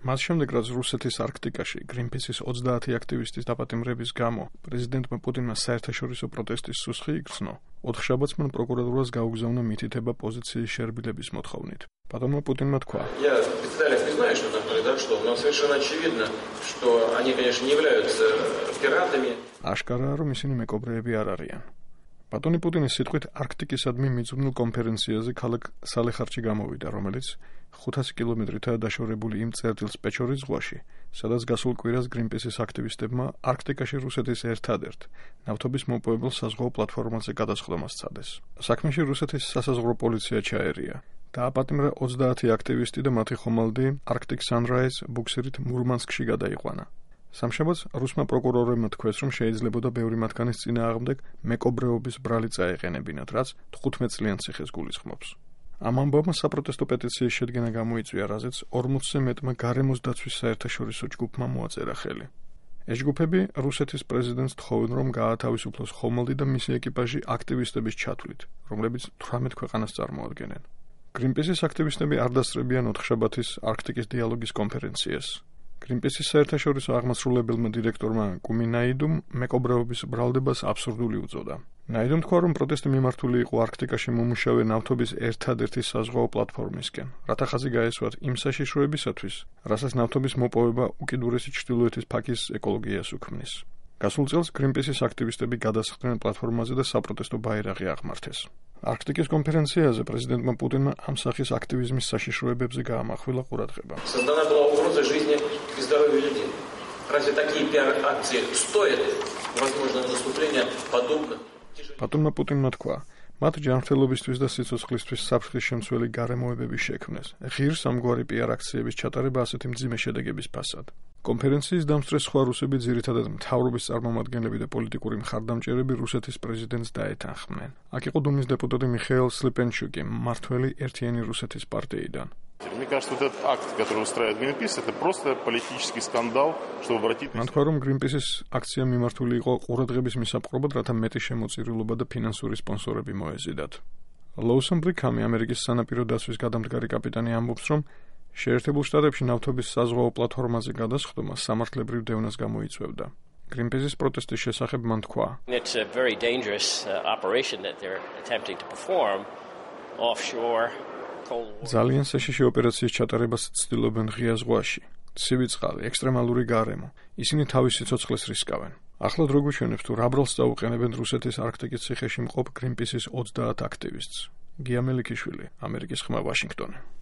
მას შემდეგ, რაც რუსეთის არქტიკაში Greenpeace-ის 30 აქტივისტის დაპატიმრების გამო პრეზიდენტმა პუტინმა საერთაშორისო პროტესტის სუსხი იგრძნო, ოთხშაბათს მან პროკურატურას გაუგზავნა მითითება პოზიციის შერბილების მოთხოვნით. Პატონმა პუტინმა თქვა: აშკარაა, რომ ისინი მეკობრეები არ არიან. პატონი პუტინის სიტყვით არქტიკისადმი მიძღვნილ კონფერენციაზე ქალაქ სალეხარდში გამოვიდა, რომელიც 500 კილომეტრითაა დაშორებული იმ წერტილს პეჩორის ზღვაში, სადაც გასულ კვირას Greenpeace-ის აქტივისტებმა არქტიკაში რუსეთის ერთადერთ ნავთობის მოპოვებელ საზღვაო პლატფორმაზე გადასხდომას სცადეს. საქმეში რუსეთის სასაზღვრო პოლიცია ჩაერია. დააპატიმრა 30 აქტივისტი და მათი ხომალდი Arctic Sunrise ბუქსირით მურმანსკში გადაიყვანა. სამშაბათს რუსმა პროკურორებმა თქვეს, რომ შეიძლებოდა ბევრი მათგანის წინააღმდეგ მეკობრეობის ბრალი წაეყენებინათ, რაც 15 წლიან ციხეს გულისხმობს. ამ ამბავმა საპროტესტო პეტიციის შედგენა გამოიწვია, რაზეც 40-ზე მეტმა გარემოს დაცვის საერთაშორისო ჯგუფმა მოაწერა ხელი. ეს ჯგუფები რუსეთის პრეზიდენტს თხოვენ, რომ გაათავისუფლოს ხომალდი და მისი ეკიპაჟი აქტივისტების ჩათვლით, რომლებიც 18 ქვეყანას წარმოადგენენ. Greenpeace-ის აქტივისტები არ დასწრებიან ოთხშაბათის არქტიკის დიალოგის კონფერენციას. Greenpeace-ის საერთაშორისო აღმასრულებელმა დირექტორმა კუმი ნაიდუმ მეკობრეობის ბრალდებას აბსურდული უწოდა. ნაიდუმ თქვა, რომ პროტესტი მიმართული იყო არქტიკაში მომუშავე ნავთობის ერთადერთი საზღვაო პლატფორმისკენ, რათა ხაზი გაესვათ იმ საშიშროებისათვის, რასაც ნავთობის მოპოვება უკიდურესი ჩრდილოეთის ფაქის ეკოლოგიას უქმნის. გასულ წელს Greenpeace-ის აქტივისტები გადასხდნენ პლატფორმაზე და საპროტესტო ბაირაღი აღმართეს. არქტიკის კონფერენციაზე პრეზიდენტმა პუტინმა ამ სახის აქტივიზმის საშიშროებებზე გაამახვილა ყურადღება. პატონმა პუტინმა თქვა, მათ ჯანმრთელობისთვის და სიცოცხლისთვის საფრთხის შემცველი გარემოებები შექმნეს. ღირს ამგვარი PR აქციების ჩატარება ასეთი მძიმე შედეგების ფასად. კონფერენციის დამსწრეს სხვა რუსები, ძირითადად მთავრობის წარმომადგენლები და პოლიტიკური მხარდამჭერები რუსეთის პრეზიდენტს დაეთანხმნენ. აქ იყო დუმის დეპუტატი მიხეილ სლიპენჩუკი, მმართველი ერთიანი რუსეთის პარტიიდან. Мне кажется, вот этот акт, который устраивает Greenpeace, это просто политический скандал, чтобы обратить... მან თქვა, რომ Greenpeace-ის აქცია მიმართული იყო ყურადღების მისაპყრობად, რათა მეტი შემოწირულობა და ფინანსური სპონსორები მოეზიდათ. ლოუსონ ბრიქამი, ამერიკის სანაპირო დაცვის გადამდგარი კაპიტანი, ამბობს, რომ შეერთებულ შტატებში ნავთობის საზღვაო პლატფორმაზე გადასხდომა სამართლებრივ დევნას გამოიწვევდა. Greenpeace-ის პროტესტის შესახებ მან თქვა: It's a very dangerous operation that they're attempting to perform offshore. ძალიან საშიში ოპერაციის ჩატარებას ცდილობენ ღია ზღვაში. ცივი წყალი, ექსტრემალური გარემო. ისინი თავის სიცოცხლეს რისკავენ. ახლად რო გვიჩვენებს, თუ რა ბრალს წაუყენებენ რუსეთის არქტიკის ციხეში მყოფ Greenpeace-ის 30 აქტივისტს. გია მელიქიშვილი, ამერიკის ხმა, ვაშინგტონი.